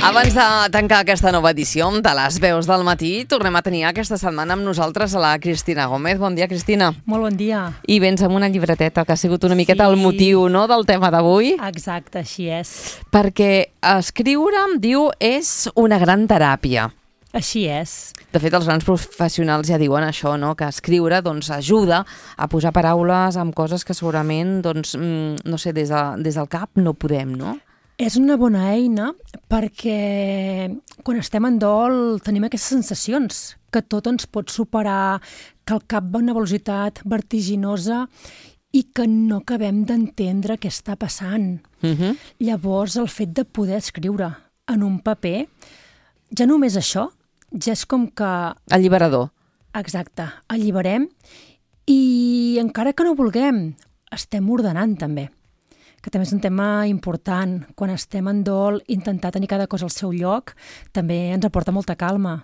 Abans de tancar aquesta nova edició de les veus del matí, tornem a tenir aquesta setmana amb nosaltres a la Cristina Gómez. Bon dia, Cristina. Molt bon dia. I vens amb una llibreteta, que ha sigut una miqueta el motiu, no?, del tema d'avui. Exacte, així és. Perquè escriure, em diu, és una gran teràpia. Així és. De fet, els grans professionals ja diuen això, no?, que escriure doncs, ajuda a posar paraules amb coses que segurament, doncs, no sé, des del cap no podem, no? És una bona eina perquè quan estem en dol tenim aquestes sensacions, que tot ens pot superar, que el cap va a una velocitat vertiginosa i que no acabem d'entendre què està passant. Llavors, el fet de poder escriure en un paper, ja només això, ja és com que... Alliberador. Exacte, alliberem i encara que no vulguem, estem ordenant també. Que també és un tema important. Quan estem en dol, intentar tenir cada cosa al seu lloc també ens aporta molta calma.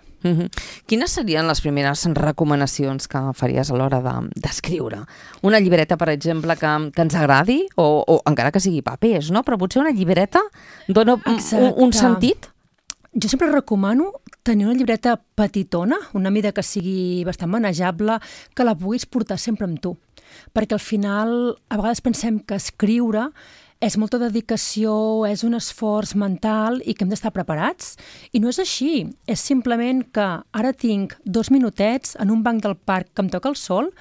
Quines serien les primeres recomanacions que faries a l'hora d'escriure? Una llibreta, per exemple, que ens agradi, o encara que sigui papers, no? Però potser una llibreta dona un sentit? Jo sempre recomano tenir una llibreta petitona, una mida que sigui bastant manejable, que la puguis portar sempre amb tu. Perquè al final, a vegades pensem que escriure és molta dedicació, és un esforç mental i que hem d'estar preparats. I no és així. És simplement que ara tinc 2 minutets en un banc del parc que em toca el sol,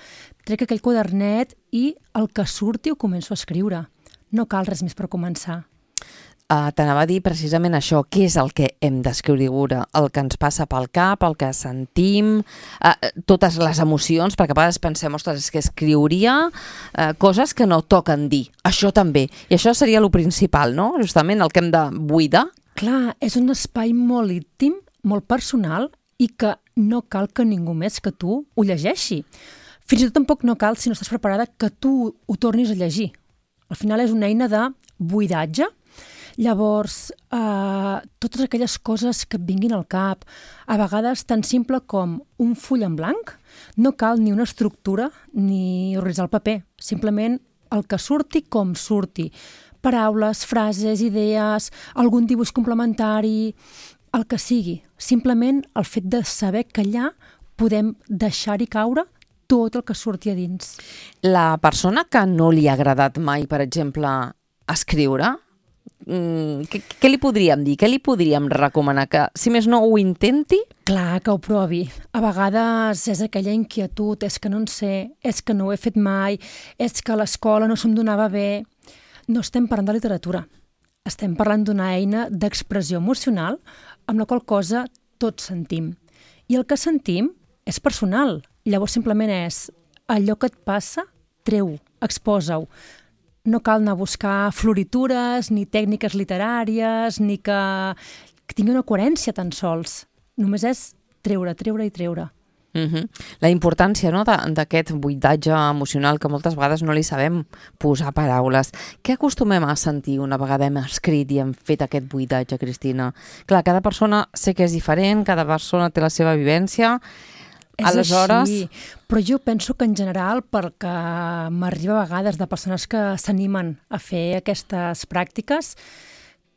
trec aquell quadernet i el que surti ho començo a escriure. No cal res més per començar. T'anava a dir precisament això, què és el que hem d'escriure, el que ens passa pel cap, el que sentim, totes les emocions, perquè a vegades pensem, ostres, és que escriuria coses que no toquen dir, això també, i això seria el principal, no? Justament el que hem de buidar. Clar, és un espai molt íntim, molt personal, i que no cal que ningú més que tu ho llegeixi. Fins i tot tampoc no cal, si no estàs preparada, que tu ho tornis a llegir. Al final és una eina de buidatge. Llavors, totes aquelles coses que et vinguin al cap, a vegades tan simple com un full en blanc, no cal ni una estructura ni organitzar el paper, simplement el que surti com surti. Paraules, frases, idees, algun dibuix complementari, el que sigui. Simplement el fet de saber que allà podem deixar-hi caure tot el que surti a dins. La persona que no li ha agradat mai, per exemple, escriure, què li podríem dir? Què li podríem recomanar? Que, si més no, ho intenti? Clar, que ho provi. A vegades és aquella inquietud, és que no en sé, és que no ho he fet mai, és que a l'escola no se'm donava bé. No estem parlant de literatura. Estem parlant d'una eina d'expressió emocional amb la qual cosa tots sentim. I el que sentim és personal. Llavors simplement és allò que et passa, treu-ho, exposa-ho. No cal anar a buscar floritures, ni tècniques literàries, ni que tingui una coherència tan sols. Només és treure, treure i treure. La importància, no?, d'aquest buidatge emocional que moltes vegades no li sabem posar paraules. Què acostumem a sentir una vegada hem escrit i hem fet aquest buidatge, Cristina? Clar, cada persona sé que és diferent, cada persona té la seva vivència. Aleshores... així, però jo penso que en general, perquè m'arriba a vegades de persones que s'animen a fer aquestes pràctiques,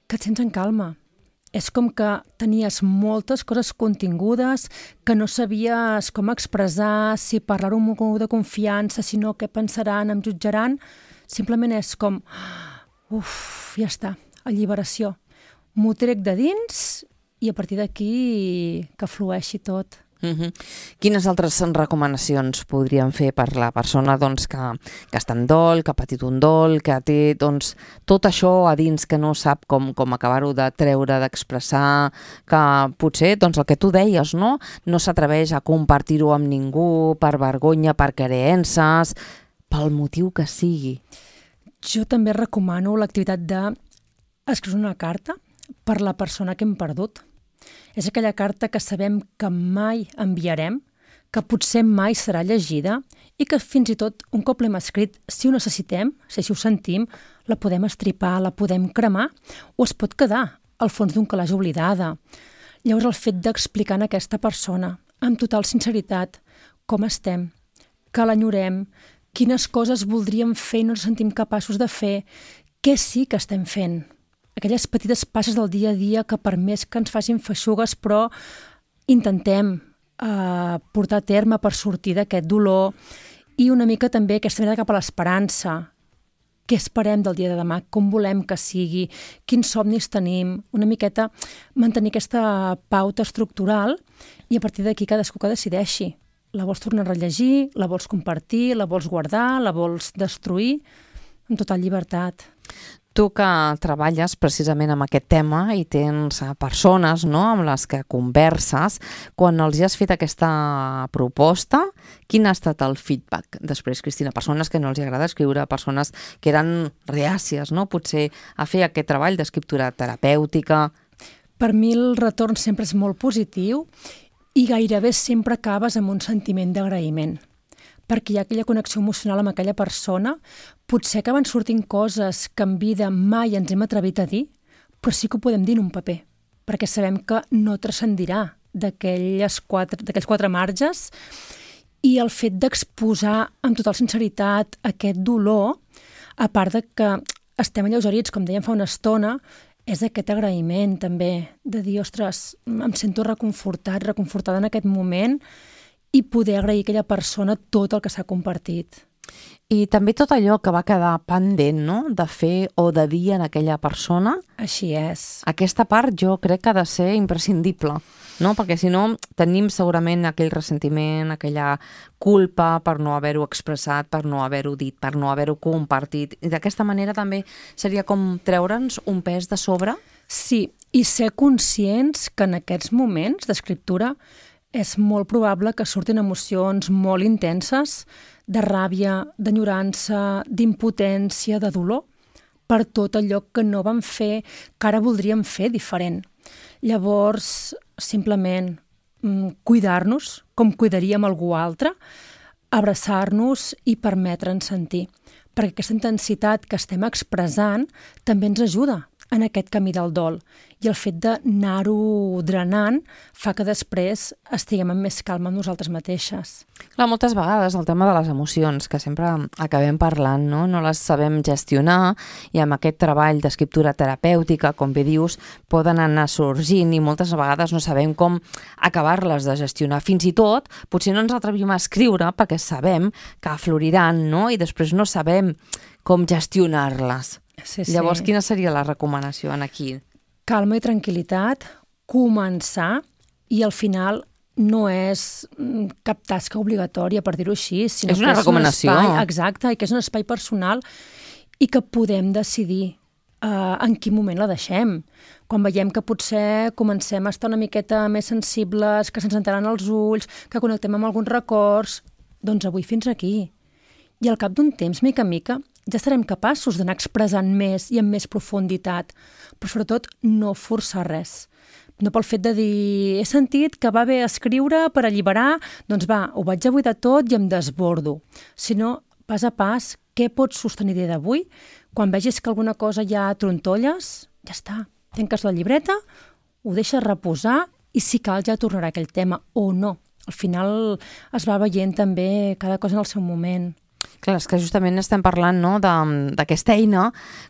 que et sents en calma. És com que tenies moltes coses contingudes, que no sabies com expressar, si parlar-ho amb algú de confiança, si no, què pensaran, em jutjaran. Simplement és com, ja està, alliberació. M'ho trec de dins i a partir d'aquí que flueixi tot. Quines altres recomanacions podríem fer per la persona doncs, que està en dol, que ha patit un dol, que té doncs, tot això a dins que no sap com acabar-ho de treure, d'expressar, que potser doncs, el que tu deies no s'atreveix a compartir-ho amb ningú per vergonya, per creences, pel motiu que sigui? Jo també recomano l'activitat d'escriure una carta per la persona que hem perdut. És aquella carta que sabem que mai enviarem, que potser mai serà llegida i que fins i tot un cop l'hem escrit, si ho necessitem, si ho sentim, la podem estripar, la podem cremar o es pot quedar al fons d'un calaix oblidada. Llavors el fet d'explicar a aquesta persona amb total sinceritat com estem, que l'enyorem, quines coses voldríem fer i no ens sentim capaços de fer, què sí que estem fent. aquelles petites passes del dia a dia que per més que ens facin feixugues, però intentem portar a terme per sortir d'aquest dolor i una mica també aquesta mirada cap a l'esperança. Què esperem del dia de demà? Com volem que sigui? Quins somnis tenim? Una miqueta mantenir aquesta pauta estructural i a partir d'aquí cadascú que decideixi. La vols tornar a rellegir? La vols compartir? La vols guardar? La vols destruir? Amb total llibertat. Tu que treballes precisament amb aquest tema i tens persones, no?, amb les que converses, quan els has fet aquesta proposta, quin ha estat el feedback després, Cristina? Persones que no els agrada escriure, persones que eren reàcies, no?, potser a fer aquest treball d'escriptura terapèutica. Per mi el retorn sempre és molt positiu i gairebé sempre acabes amb un sentiment d'agraïment, perquè hi ha aquella connexió emocional amb aquella persona. Potser acaben sortint coses que en vida mai ens hem atrevit a dir, però sí que ho podem dir en un paper, perquè sabem que no transcendirà d'aquells quatre marges, i el fet d'exposar amb total sinceritat aquest dolor, a part de que estem alleugerits, com dèiem fa una estona, és aquest agraïment també, de dir, ostres, em sento reconfortada en aquest moment, i poder agrair a aquella persona tot el que s'ha compartit. I també tot allò que va quedar pendent, no?, de fer o de dir en aquella persona. Així és. Aquesta part jo crec que ha de ser imprescindible, no?, perquè si no tenim segurament aquell ressentiment, aquella culpa per no haver-ho expressat, per no haver-ho dit, per no haver-ho compartit. I d'aquesta manera també seria com treure'ns un pes de sobre? Sí, i ser conscients que en aquests moments d'escriptura és molt probable que surtin emocions molt intenses, de ràbia, d'enyorança, d'impotència, de dolor, per tot allò que no vam fer, que ara voldríem fer diferent. Llavors, simplement cuidar-nos com cuidaríem algú altre, abraçar-nos i permetre'ns sentir. Perquè aquesta intensitat que estem expressant també ens ajuda en aquest camí del dol. I el fet d'anar-ho drenant fa que després estiguem amb més calma amb nosaltres mateixes. Clar, moltes vegades el tema de les emocions, que sempre acabem parlant, no les sabem gestionar, i amb aquest treball d'escriptura terapèutica, com bé dius, poden anar sorgint i moltes vegades no sabem com acabar-les de gestionar. Fins i tot, potser no ens atrevim a escriure perquè sabem que afloriran, no?, i després no sabem com gestionar-les. Sí. Llavors, quina seria la recomanació aquí? Calma i tranquil·litat, començar, i al final no és cap tasca obligatòria, per dir-ho així, sinó és una recomanació. Exacte, i que és un espai personal i que podem decidir en quin moment la deixem. Quan veiem que potser comencem a estar una miqueta més sensibles, que se'ns entenen els ulls, que connectem amb alguns records, doncs avui fins aquí. I al cap d'un temps, mica en mica, ja estarem capaços d'anar expressant més i amb més profunditat, però sobretot no forçar res. No pel fet de dir, he sentit que va bé escriure per alliberar, doncs va, ho vaig a buidar tot i em desbordo. Sinó, pas a pas, què pots sostenir dia d'avui? Quan vegis que alguna cosa ja trontolles, ja està. Tanques la llibreta, ho deixes reposar i si cal ja tornarà aquell tema o no. Al final es va veient també cada cosa en el seu moment. Clar, és que justament estem parlant, no, d'aquesta eina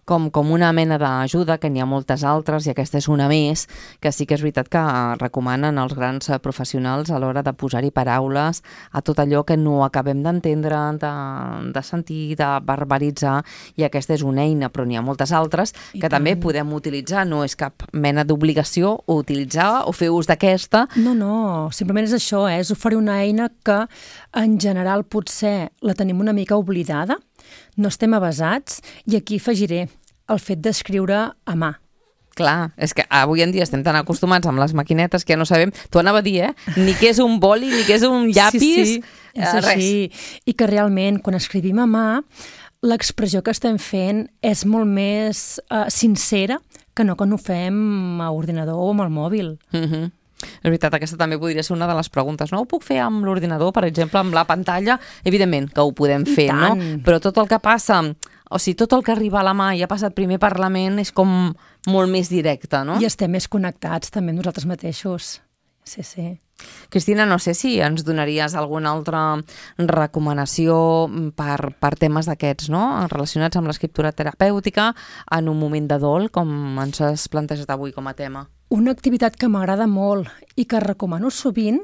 com una mena d'ajuda, que n'hi ha moltes altres i aquesta és una més, que sí que és veritat que recomanen els grans professionals a l'hora de posar-hi paraules a tot allò que no acabem d'entendre, de sentir, de verbalitzar, i aquesta és una eina, però n'hi ha moltes altres que també podem utilitzar. No és cap mena d'obligació utilitzar o fer ús d'aquesta. No, simplement és això, és oferir una eina que en general potser la tenim una mica oblidada, no estem avesats, i aquí afegiré el fet d'escriure a mà. Clar, és que avui en dia estem tan acostumats amb les maquinetes que ja no sabem, t'ho anava a dir, ni què és un boli, ni què és un llapis, sí, és així. I que realment, quan escrivim a mà, l'expressió que estem fent és molt més sincera que no quan ho fem a ordinador o amb el mòbil. És veritat, aquesta també podria ser una de les preguntes. No ho puc fer amb l'ordinador, per exemple, amb la pantalla? Evidentment que ho podem fer, no? Però tot el que passa, o sigui, tot el que arriba a la mà i ha passat primer per la ment és com molt més directe, no? I estem més connectats també amb nosaltres mateixos. Sí. Cristina, no sé si ens donaries alguna altra recomanació per temes d'aquests, no? Relacionats amb l'escriptura terapèutica en un moment de dol, com ens has plantejat avui com a tema. Una activitat que m'agrada molt i que recomano sovint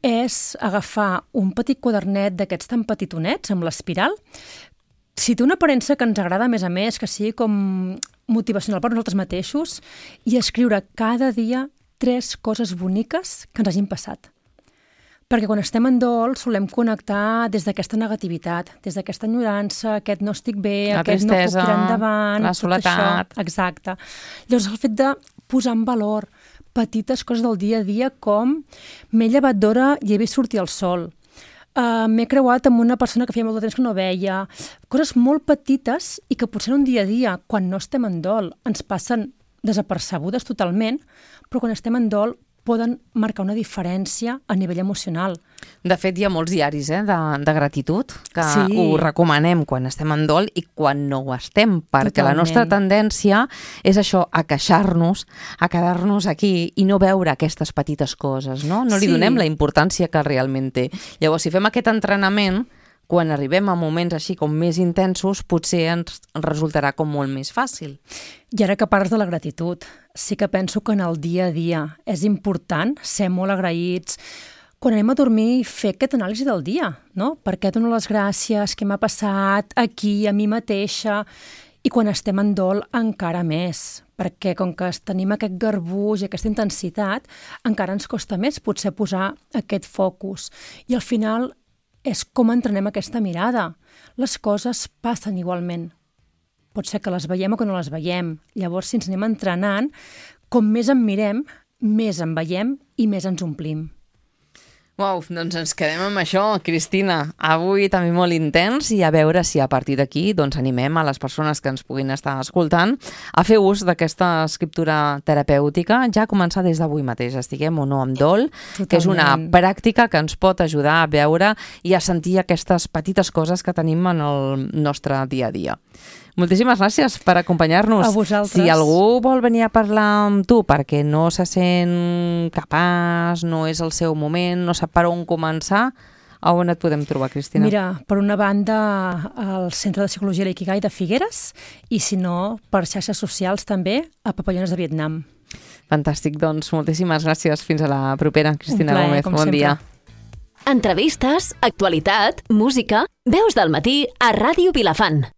és agafar un petit quadernet d'aquests tan petitonets amb l'espiral. Si té una aparença que ens agrada, a més, que sigui com motivacional per nosaltres mateixos, i escriure cada dia 3 coses boniques que ens hagin passat. Perquè quan estem en dol solem connectar des d'aquesta negativitat, des d'aquesta enyorança, aquest no estic bé, la aquest tristesa, no puc tirar endavant, la soledat. Tot això. Exacte. Llavors el fet de posar en valor petites coses del dia a dia com m'he llevat d'hora i he vist sortir el sol, m'he creuat amb una persona que feia molt de temps que no veia, coses molt petites i que potser en un dia a dia, quan no estem en dol, ens passen desapercebudes totalment, però quan estem en dol poden marcar una diferència a nivell emocional. De fet, hi ha molts diaris de gratitud que Sí. ho recomanem quan estem en dol i quan no ho estem, perquè Totalment. la nostra tendència és això, a queixar-nos, a quedar-nos aquí i no veure aquestes petites coses, no? No li Sí. donem la importància que realment té. Llavors, si fem aquest entrenament, quan arribem a moments així com més intensos, potser ens resultarà com molt més fàcil. I ara que parles de la gratitud, sí que penso que en el dia a dia és important ser molt agraïts. Quan anem a dormir, fer aquest anàlisi del dia, no? Per què dono les gràcies, què m'ha passat aquí, a mi mateixa? I quan estem en dol, encara més, perquè com que tenim aquest garbuix i aquesta intensitat, encara ens costa més potser posar aquest focus. I al final és com entrenem aquesta mirada. Les coses passen igualment. Pot ser que les veiem o que no les veiem. Llavors, si ens anem entrenant, com més en mirem, més en veiem i més ens omplim. Uau, doncs ens quedem amb això, Cristina. Avui també molt intens i a veure si a partir d'aquí doncs, animem a les persones que ens puguin estar escoltant a fer ús d'aquesta escriptura terapèutica, ja a començar des d'avui mateix, estiguem o no amb dol, Totalment. que és una pràctica que ens pot ajudar a veure i a sentir aquestes petites coses que tenim en el nostre dia a dia. Moltíssimes gràcies per acompanyar-nos. A vosaltres. Si algú vol venir a parlar amb tu perquè no se sent capaç, no és el seu moment, no sap per on començar, a on et podem trobar, Cristina? Mira, per una banda, al Centre de Psicologia Ikigai de Figueres i, si no, per xarxes socials també, a Papallones de Vietnam. Fantàstic, doncs moltíssimes gràcies. Fins a la propera, Cristina plaer, Gómez. com Bon sempre. dia. Entrevistes, actualitat, música, veus del matí a Ràdio Vilafant.